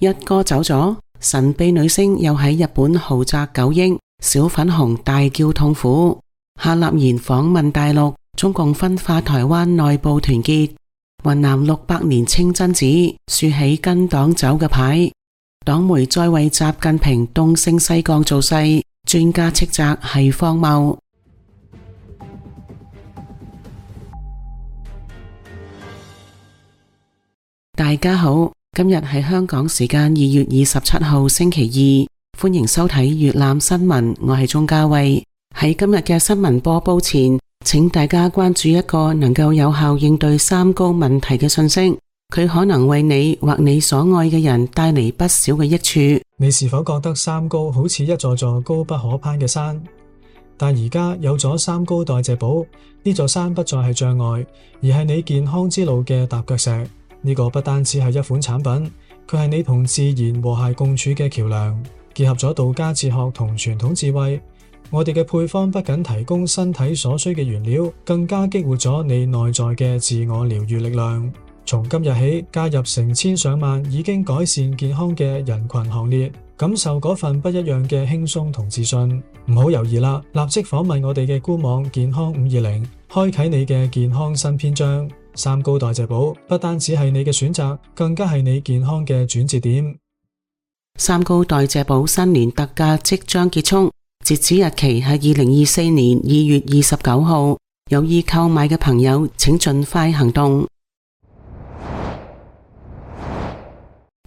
一哥走咗，神秘女星又喺日本豪宅9億，小粉紅大叫痛苦。夏立言訪問大陸，中共分化台灣內部團結。雲南600年清真寺豎起跟黨走嘅牌。黨媒再為習近平東升西降造勢，專家斥責係荒謬。大家好，今日係香港時間2月27號星期二，歡迎收睇粵覽新聞，我係鍾嘉慧。喺今日嘅新聞播報前，請大家關注一個能夠有效應對三高問題嘅信息，佢可能為你或你所愛嘅人帶嚟不少嘅益處。你是否覺得三高好似一座座高不可攀嘅山？但而家有咗三高代謝寶，呢座山不再係障礙，而係你健康之路嘅踏腳石。呢個不單止係一款產品，佢係你同自然和諧共處嘅橋樑，結合咗道家哲學同傳統智慧。我哋嘅配方不僅提供身體所需嘅原料，更加激活咗你內在嘅自我療癒力量。從今日起，加入成千上萬已經改善健康嘅人群行列，感受嗰份不一樣嘅輕鬆同自信。唔好猶豫啦，立即訪問我哋嘅官網健康520，開啟你嘅健康新篇章。三高代謝寶不單只係你嘅選擇，更加係你健康嘅轉折點。三高代謝寶新年特價即將結束，截止日期係2024年2月29號，有意購買嘅朋友請盡快行動。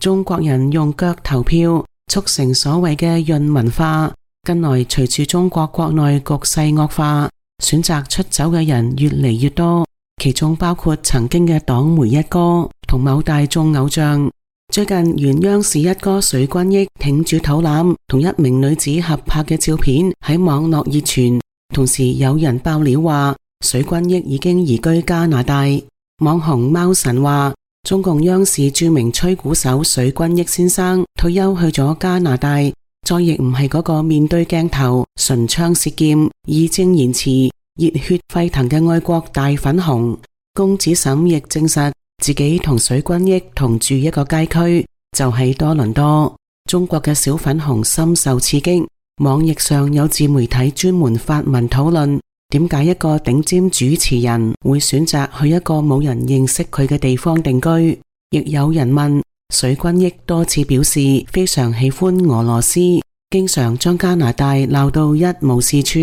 中國人用腳投票，促成所謂嘅潤文化。近來隨住中國國內局勢惡化，選擇出走嘅人越嚟越多，其中包括曾經嘅黨媒一哥同某大眾偶像。最近原央視一哥水均益挺住肚腩同一名女子合拍嘅照片喺網絡熱傳，同時有人爆料話水均益已經移居加拿大。網紅貓神話中共央視著名吹鼓手水均益先生退休去咗加拿大，再亦唔係嗰個面對鏡頭唇槍舌劍義正言辭熱血沸騰嘅愛國大粉紅。公子沈亦證實自己同水均益同住一個街區，就喺多倫多。中國嘅小粉紅深受刺激，網易上有自媒體專門發文討論點解一個頂尖主持人會選擇去一個冇人認識佢嘅地方定居。亦有人問水均益多次表示非常喜歡俄羅斯，經常將加拿大鬧到一無是處。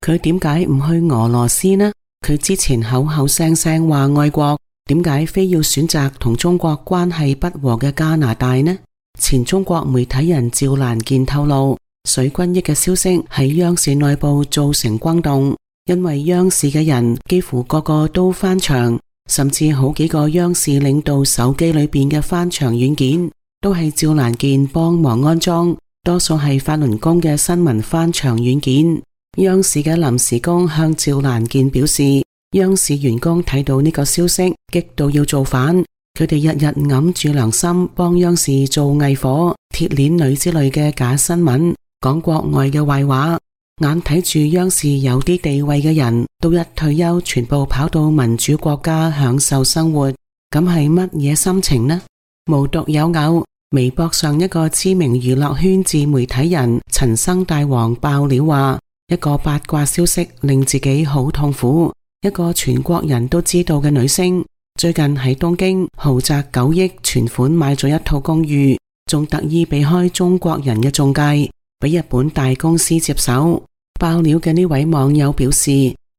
佢點解唔去俄羅斯呢？佢之前口口聲聲話愛國，點解非要選擇同中國關係不和嘅加拿大呢？前中國媒體人趙蘭健透露，水均益嘅消息喺央視內部造成轟動，因為央視嘅人幾乎個個都翻牆，甚至好幾個央視領導手機裏邊嘅翻牆軟件都係趙蘭健幫忙安裝，多數係法輪功嘅新聞翻牆軟件。央視嘅臨時工向趙蘭健表示，央視員工睇到呢個消息激到要造反，佢哋日日揞住良心幫央視做偽火、鐵鏈女之類嘅假新聞，講國外嘅壞話。眼睇住央視有啲地位嘅人都一退休全部跑到民主國家享受生活，咁係乜嘢心情呢？無獨有偶，微博上一個知名娛樂圈自媒體人陳生大王爆料話，一個八卦消息令自己好痛苦。一個全國人都知道嘅女星最近喺東京豪宅9億存款買咗一套公寓，仲特意避開中國人嘅中介，俾日本大公司接手。爆料嘅呢位網友表示，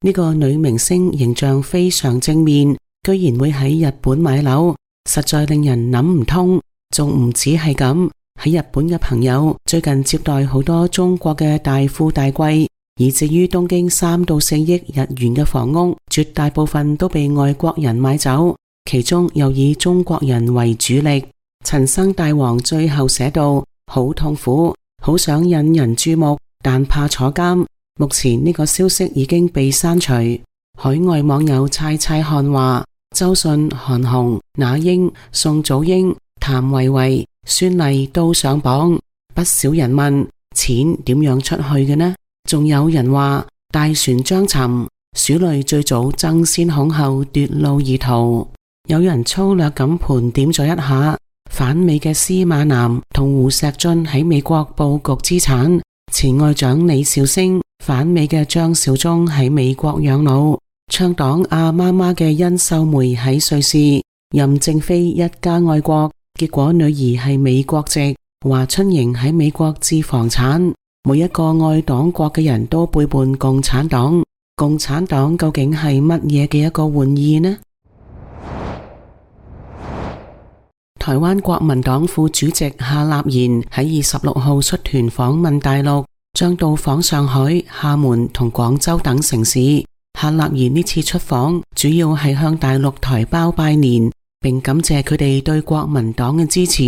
呢個女明星形象非常正面，居然會喺日本買樓，實在令人諗唔通。仲唔止係咁，喺日本嘅朋友最近接待好多中國嘅大富大貴，以至於東京3到4億日元嘅房屋，絕大部分都被外國人買走，其中又以中國人為主力。陳生大王最後寫道，好痛苦，好想引人注目，但怕坐監。目前呢個消息已經被刪除。海外網友猜猜看話，周迅、韓紅、那英、宋祖英、譚維維、孫儷都上榜。不少人問錢點樣出去嘅呢？仲有人話大船將沉，鼠類最早爭先恐後奪路而逃。有人粗略咁盤點咗一下，反美嘅司馬南同胡錫進喺美國佈局資產，前外長李兆星、反美嘅張紹忠喺美國養老，倡黨阿媽媽嘅殷秀梅喺瑞士，任正非一家愛國，結果女兒係美國籍，華春瑩喺美國置房產，每一個愛黨國嘅人都背叛共產黨，共產黨究竟係乜嘢嘅一個玩意呢？台灣國民黨副主席夏立言喺26號出團訪問大陸，將到訪上海、廈門同廣州等城市。夏立言呢次出訪主要係向大陸台胞拜年，並感謝佢哋對國民黨嘅支持，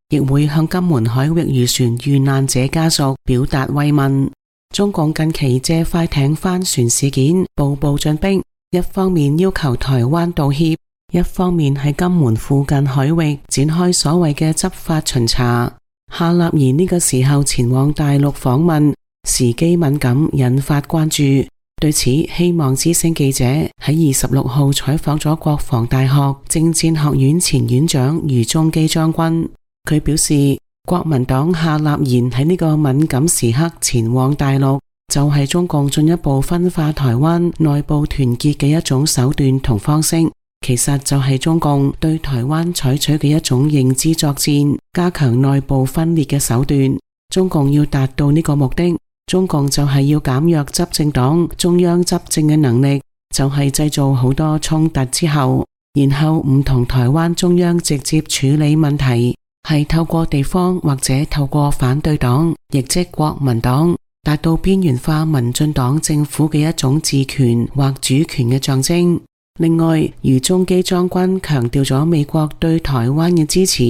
亦會向金門海域漁船遇難者家屬表達慰問。中共近期借快艇翻船事件步步進逼，一方面要求台灣道歉，一方面喺金門附近海域展開所謂嘅執法巡查。夏立言呢個時候前往大陸訪問，時機敏感，引發關注。對此，希望之聲記者喺26號採訪咗國防大學政戰學院前院長余宗基將軍。佢表示，國民黨夏立言喺呢個敏感時刻前往大陸，就係中共進一步分化台灣內部團結嘅一種手段同方式。其實就係中共對台灣採取嘅一種認知作戰，加強內部分裂嘅手段。中共要達到呢個目的，中共就係要減弱執政黨中央執政嘅能力，就係製造好多衝突之後，然後唔同台灣中央直接處理問題，係透過地方或者透過反對黨，亦即國民黨，達到邊緣化民進黨政府嘅一種治權或主權嘅象徵。另外，余宗基將軍強調咗美國對台灣嘅支持。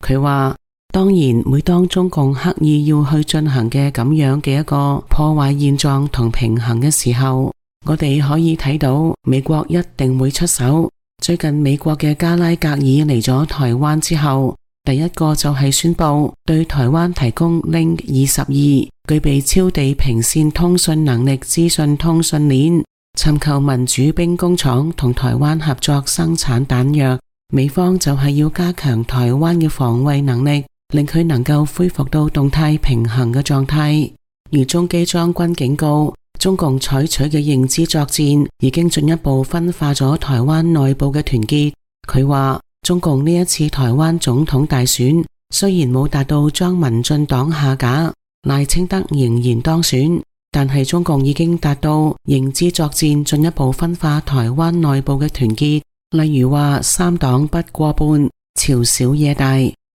佢話，當然每當中共刻意要去進行嘅咁樣嘅一個破壞現狀同平衡嘅時候，我哋可以睇到美國一定會出手。最近美國嘅加拉格爾嚟咗台灣之後，第一個就係宣布對台灣提供 Link 22具備超地平線通訊能力資訊通訊鏈，尋求民主兵工廠同台灣合作生產彈藥。美方就係要加強台灣嘅防衛能力，令佢能夠恢復到動態平衡嘅狀態。余宗基將軍警告，中共採取嘅認知作戰已經進一步分化咗台灣內部嘅團結。佢話，中共呢一次台灣總統大選雖然冇達到將民進黨下架，賴清德仍然當選，但係中共已經達到認知作戰進一步分化台灣內部嘅團結。例如話三黨不過半，朝小野大。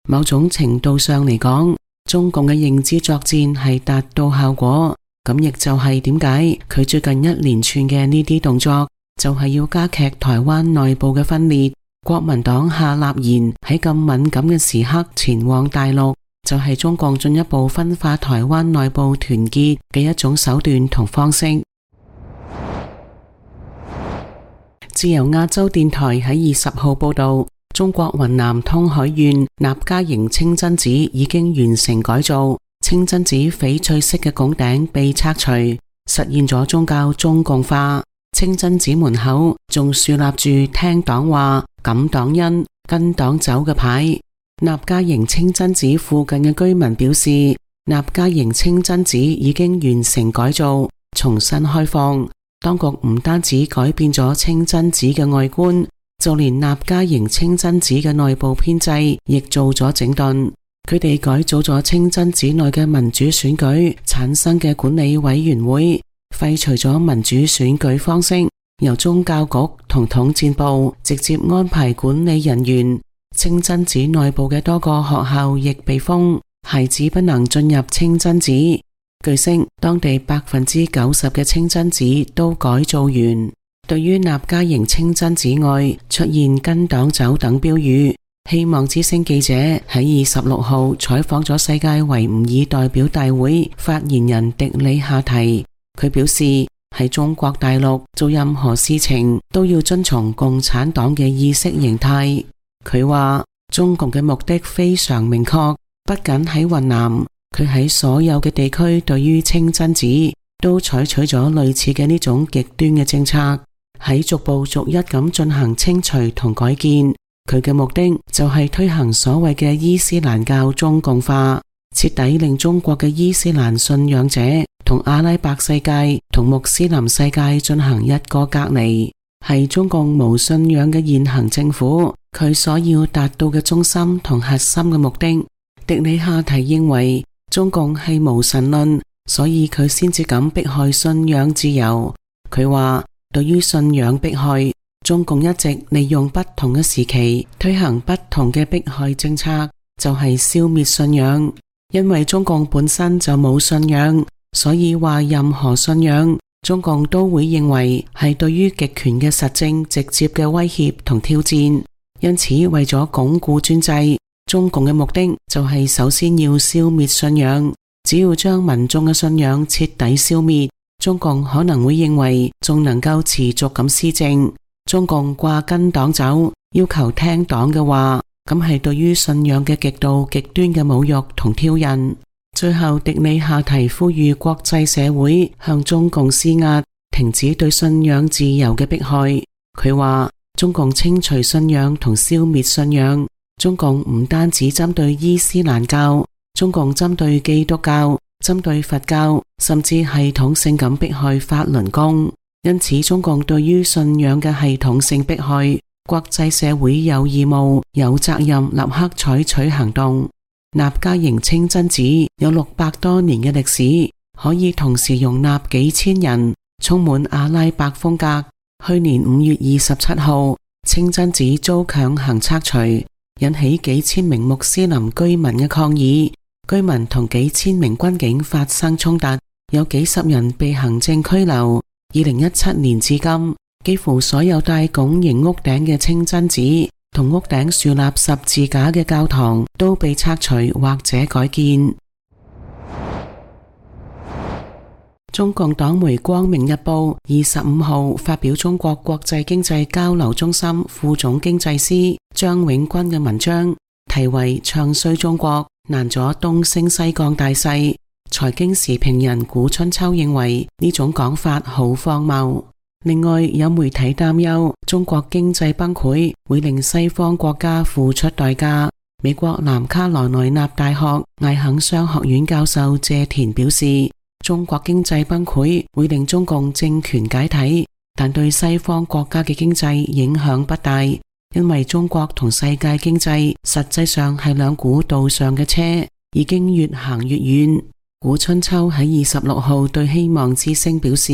某種程度上嚟講，中共嘅認知作戰係達到效果。咁亦就係點解佢最近一連串嘅呢啲動作，就係要加劇台灣內部嘅分裂。國民黨夏立言喺咁敏感嘅時刻前往大陸，就係中共進一步分化台灣內部團結嘅一種手段同方式。自由亞洲電台喺20號報道，中國雲南通海縣納家營清真寺已經完成改造，清真寺翡翠色嘅拱頂被拆除，實現咗宗教中共化。清真寺門口仲豎立住聽黨話、感黨恩、跟黨走嘅牌。納家營清真寺附近嘅居民表示，納家營清真寺已經完成改造，重新開放。當局唔單止改變咗清真寺嘅外觀，就連納家營清真寺嘅內部編制亦做咗整頓。佢哋改組咗清真寺內嘅民主選舉產生嘅管理委員會，廢除咗民主選舉方式，由宗教局同統戰部直接安排管理人員。清真寺內部嘅多個學校亦被封，孩子不能進入清真寺。據悉，當地90%嘅清真寺都改造完。對於納家營清真寺外出現跟黨走等標語，希望之聲記者喺26號採訪咗世界維吾爾代表大會發言人迪里夏提。佢表示，喺中國大陸做任何事情都要遵從共產黨嘅意識形態。佢話中共嘅目的非常明確，不僅喺雲南，佢喺所有嘅地區對於清真寺都採取咗類似嘅呢種極端嘅政策，喺逐步逐一咁進行清除同改建。佢嘅目的就係推行所謂嘅伊斯蘭教中共化，徹底令中國嘅伊斯蘭信仰者同阿拉伯世界同穆斯林世界進行一個隔離，係中共無信仰嘅現行政府佢所要達到嘅中心同核心嘅目的。迪里夏提認為中共係無神論，所以佢先至敢迫害信仰自由。佢話對於信仰迫害，中共一直利用不同嘅時期推行不同嘅迫害政策，就係消滅信仰。因為中共本身就冇信仰，所以話任何信仰中共都會認為係對於極權嘅實證直接嘅威脅同挑戰。因此為咗鞏固專制，中共嘅目的就係首先要消滅信仰。只要將民眾嘅信仰徹底消滅，中共可能會認為仲能夠持續咁施政。中共掛跟黨走，要求聽黨嘅話，咁係對於信仰嘅極度極端嘅侮辱同挑釁。最後迪里夏提呼籲國際社會向中共施壓，停止對信仰自由嘅迫害。佢話中共清除信仰同消滅信仰，中共唔單止針對伊斯蘭教，中共針對基督教、針對佛教，甚至系統性咁迫害法輪功。因此中共對於信仰嘅系統性迫害，國際社會有義務、有責任立刻採取行動。納迦營清真寺有600多年嘅歷史，可以同時容納幾千人，充滿阿拉伯風格。去年5月27號，清真寺遭強行拆除，引起幾千名穆斯林居民嘅抗議，居民同幾千名軍警發生衝突，有幾十人被行政拘留。2017年至今，幾乎所有帶拱形屋頂嘅清真寺同屋頂豎立十字架嘅教堂都被拆除或者改建。中共黨媒《光明日報》25號發表中國國際經濟交流中心副總經濟師張永軍嘅文章，題為《唱衰中國，難阻東升西降大勢》。財經時評人古春秋認為呢種講法好荒謬。另外有媒體擔憂中國經濟崩潰會令西方國家付出代價。美國南卡羅來納大學艾肯商學院教授謝田表示，中國經濟崩潰會令中共政權解體，但對西方國家嘅經濟影響不大，因為中國同世界經濟實際上係兩股道上嘅車，已經越行越遠。古春秋喺26號對希望之聲表示，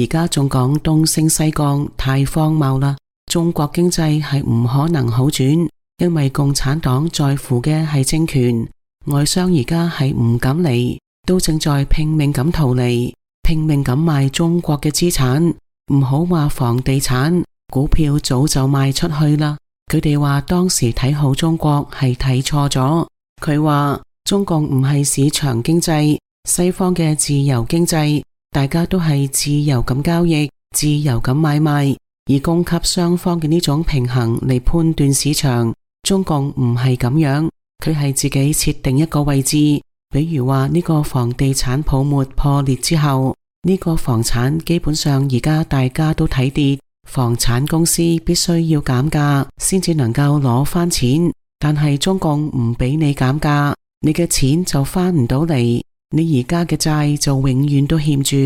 而家仲講東升西降，太荒謬啦！中國經濟係唔可能好轉，因為共產黨在乎嘅係政權，外商而家係唔敢嚟，都正在拼命咁逃離，拼命咁賣中國嘅資產，唔好話房地產，股票早就賣出去啦。佢哋話當時睇好中國係睇錯咗。佢話中共唔係市場經濟，西方嘅自由經濟，大家都係自由咁交易，自由咁買賣，以供給雙方嘅呢種平衡嚟判斷市場。中共唔係咁樣，佢係自己設定一個位置，比如話呢個房地產泡沫破裂之後，呢個房產基本上而家大家都睇跌，房產公司必須要減價先至能夠攞翻錢，但係中共唔俾你減價，你嘅錢就翻唔到嚟，你而家嘅債就永遠都欠住，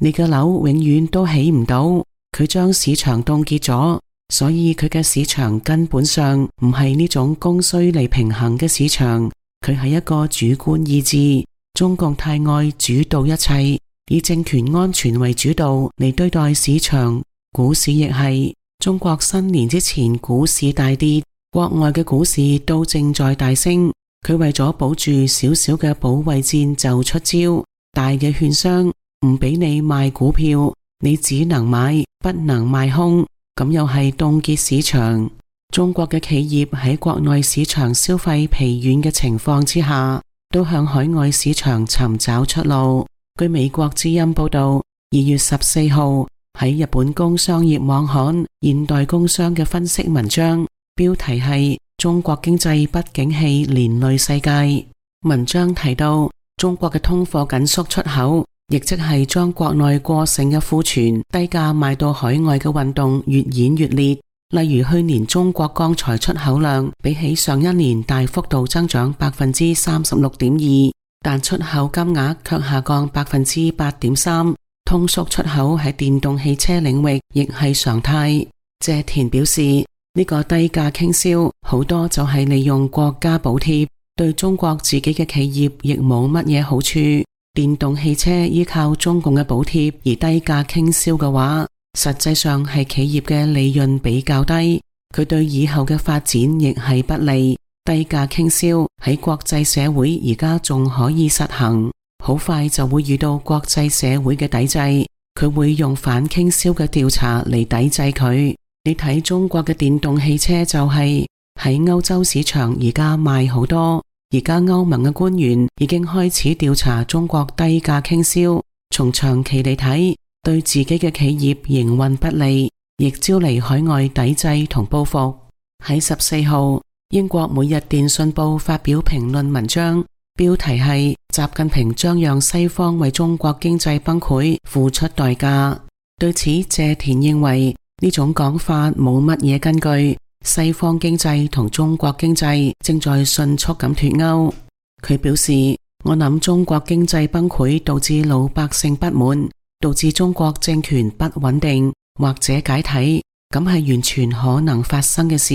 你嘅樓永遠都起唔到。佢將市場凍結咗，所以佢嘅市場根本上唔係呢種供需嚟平衡嘅市場，佢係一個主觀意志。中共太愛主導一切，以政權安全為主導嚟對待市場。股市亦係，中國新年之前股市大跌，國外嘅股市都正在大升。佢為咗保住少少嘅保衛戰就出招，大嘅券商唔俾你賣股票，你只能買不能賣空，咁又係凍結市場。中國嘅企業喺國內市場消費疲軟嘅情況之下，都向海外市場尋找出路。據美國之音報道，2月14號喺日本工商業網刊現代工商嘅分析文章，標題係中國經濟不景氣連累世界。文章提到，中國嘅通貨緊縮出口，亦即係將國內過剩嘅庫存低價賣到海外嘅運動越演越烈。例如去年中國鋼材出口量比起上一年大幅度增長 36.2%， 但出口金額卻下降 8.3%。通縮出口喺電動汽車領域亦係常態。謝田表示，呢個低價傾銷好多就係利用國家補貼，對中國自己嘅企業亦冇乜嘢好處。電動汽車依靠中共嘅補貼而低價傾銷嘅話，實際上係企業嘅利潤比較低，佢對以後嘅發展亦係不利。低價傾銷喺國際社會而家仲可以實行，好快就會遇到國際社會嘅抵制，佢會用反傾銷嘅調查嚟抵制佢。你睇中國嘅電動汽車就係喺歐洲市場而家賣好多，而家歐盟嘅官員已經開始調查中國低價傾銷，從長期嚟睇，對自己嘅企業營運不利，亦招嚟海外抵制同報復。喺14號，英國每日電訊報發表評論文章，標題係習近平將讓西方為中國經濟崩潰付出代價。對此，謝田認為呢種講法冇乜嘢根據，西方經濟同中國經濟正在迅速咁脫鈎。佢表示，我諗中國經濟崩潰導致老百姓不滿，導致中國政權不穩定或者解體，咁係完全可能發生嘅事，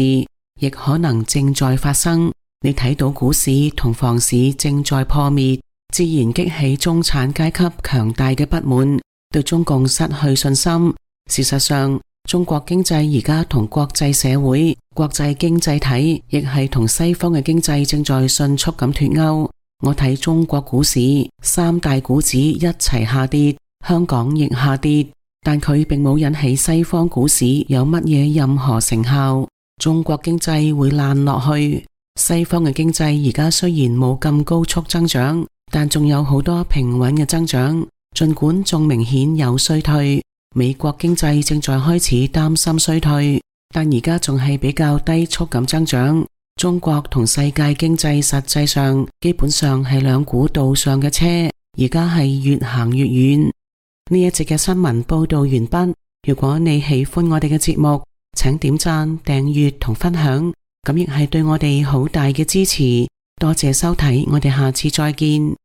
亦可能正在發生。你睇到股市同房市正在破滅，自然激起中產階級強大嘅不滿，對中共失去信心。事實上，中國經濟而家同國際社會、國際經濟體亦係同西方嘅經濟正在迅速咁脫鈎。我睇中國股市三大股指一齊下跌，香港亦下跌，但佢並冇引起西方股市有乜嘢任何成效。中國經濟會爛落去。西方嘅經濟而家雖然冇咁高速增長，但仲有好多平穩嘅增長，盡管仲明顯有衰退。美國經濟正在開始擔心衰退，但而家仲係比較低速咁增長。中國同世界經濟實際上基本上係兩股道上嘅車，而家係越行越遠。呢一節嘅新聞報道完畢。如果你喜歡我哋嘅節目，請點讚、訂閱同分享，咁亦係對我哋好大嘅支持。多謝收睇，我哋下次再見。